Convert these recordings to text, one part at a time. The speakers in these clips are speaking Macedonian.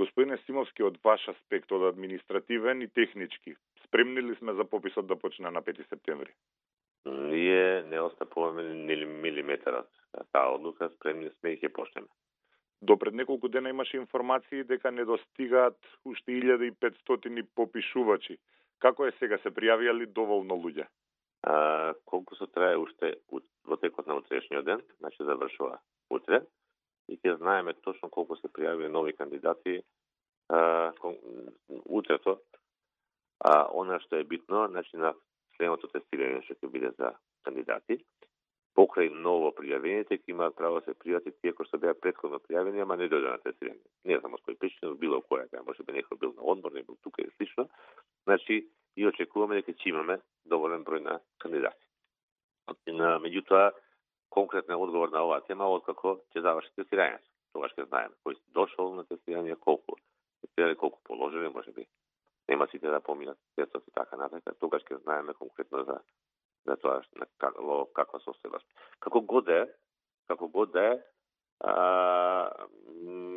Господине Симовски, од ваш аспект, од административен и технички, спремни ли сме за пописот да почне на 5 септември? Ние не остапуваме ни милиметар од таа одлука, спремни сме и ќе почнеме. До пред неколку дена имаше информации дека недостигаат уште 1500 попишувачи. Како е сега, се пријавија доволно луѓе? Колку се трае уште во текот на утрешниот ден, значи завршува утре, и ќе знаеме точно колку се пријавија нови кандидати утрето. Она што е битно, значи на следното тестирање што ќе биде за кандидати, покрај ново пријавените ќе имаат право да се пријават тие кои што беа претходно пријавени, ама не дојде на тестирање. Не знам од кој причина, било која, може би некој бил на одмор, не бил тука и слично. Значи, и очекуваме дека ќе имаме доволен број на кандидати. Меѓутоа, конкретен одговор на оваа тема откако ќе заврши тестирањето. Тогаш ќе знаеме кој дошол на тестирање, колку тестирали, колку положили, може би нема сите да поминат тестот и така натаму. Тогаш ќе знаеме конкретно за тоа во каква состојба. Како год да е,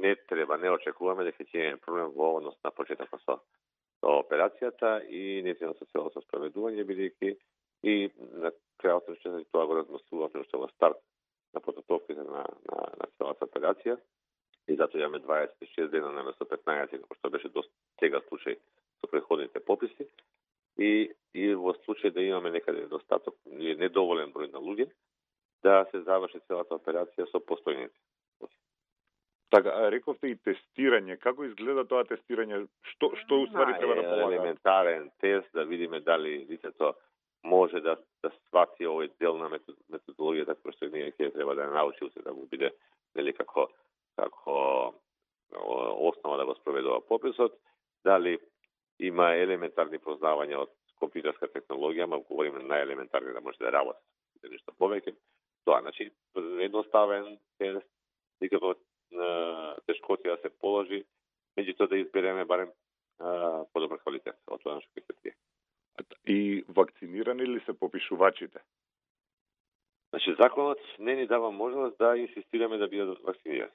не треба, не очекуваме дека ќе имаме проблем во однос на почетокот со операцијата и нејзиното целото спроведување, бидејќи и на крајот на тоа го размислувавме уште во старт на подготовките на целата операција и затоа имаме 26 дена наместо 15, како што беше до сега случај со претходните пописи и во случај да имаме некаде недостаток или недоволен број на луѓе, да се заврши целата операција со постојните. Така, рековте и тестирање. Како изгледа тоа тестирање? Што уствари треба да полага? Елементарен тест, да видиме дали лицето може да свати овој дел на методологијата која што ние ќе треба да научи, да му биде нели како основа да го спроведува пописот, дали има елементарни познавања од компјутерска технологија, ма говориме најелементарни да може да работи нешто повеќе. Тоа, значи, едноставен тест, никако тешкотија да се положи, меѓутоа да избереме барем подобар квалитет од тоа што ќе се тие. И вакцинирани ли се попишувачите? Значи, законот не ни дава можност да инсистираме да бидат вакцинирани.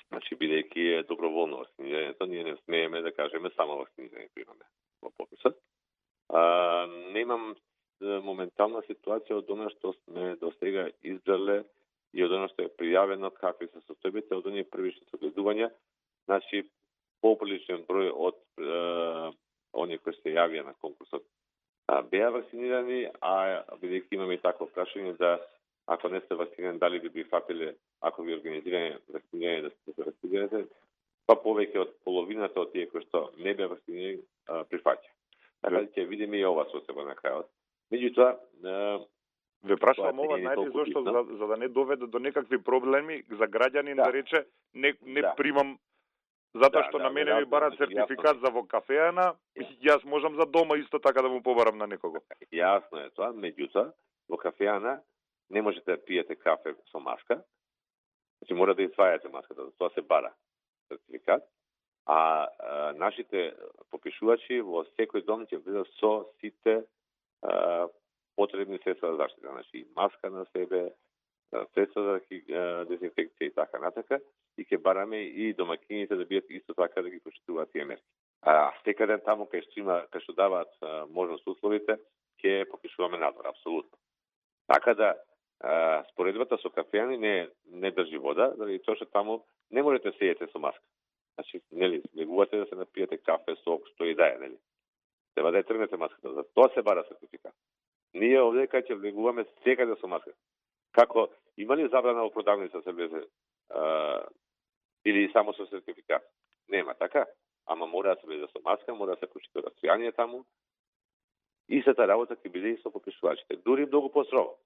Значи, бидејќи е доброволно вакцинирањето, ние не смееме да кажеме само вакцинирањето имаме во пописот. Немам моментална ситуација од она што сме до сега избрале и од она што е пријавено какви се состојбите од оние првични согледувања. Значи, поприличен број од оние кои се јавија на конкурсот беа вакцинирани, а бидејќи имаме и такво прашање да ако не сте вакцинирани, дали би прифатиле, ако ви организираме вакцинирање да се вакцинирате, па повеќе од половината од тие кои што не беа вакцинирани прифаќа. Така да ќе видиме и ова состојба на крајот. Меѓутоа, ве прашувам ова најде зашто за да не доведе до некакви проблеми за граѓанин да рече не примам затоа што на мене ми барат сертификат за во кафеана, јас можам за дома исто така да му побарам на некого. Јасно е тоа, меѓутоа во кафеана не можете да пиете кафе со маска, значи мора да извајате маската, за тоа се бара сертификат, а нашите попишувачи во секој дом ќе бидат со сите потребни средства за заштита, значи маска на себе, средства за дезинфекција и така натака, и ќе бараме и домакините да бидат исто така да ги почитуваат тие мерки. Секаде таму кај што даваат можност условите, ќе попишуваме надвор, апсолутно. Така да споредбата со кафеани не држи вода, заради тоа што таму не можете да седите со маска. Значи, нели, влегувате да се напиете кафе, сок, што и да е, нели. Треба да ја тргнете маската, за тоа се бара сертификат. Ние овде кај ќе влегуваме секаде со маска. Како, има ли забрана во продавница се влезе или само со сертификат? Нема, така? Ама мора да се влезе со маска, мора да се почита расстојание таму. Истата работа ќе биде и со попишувачите. Дури многу построго.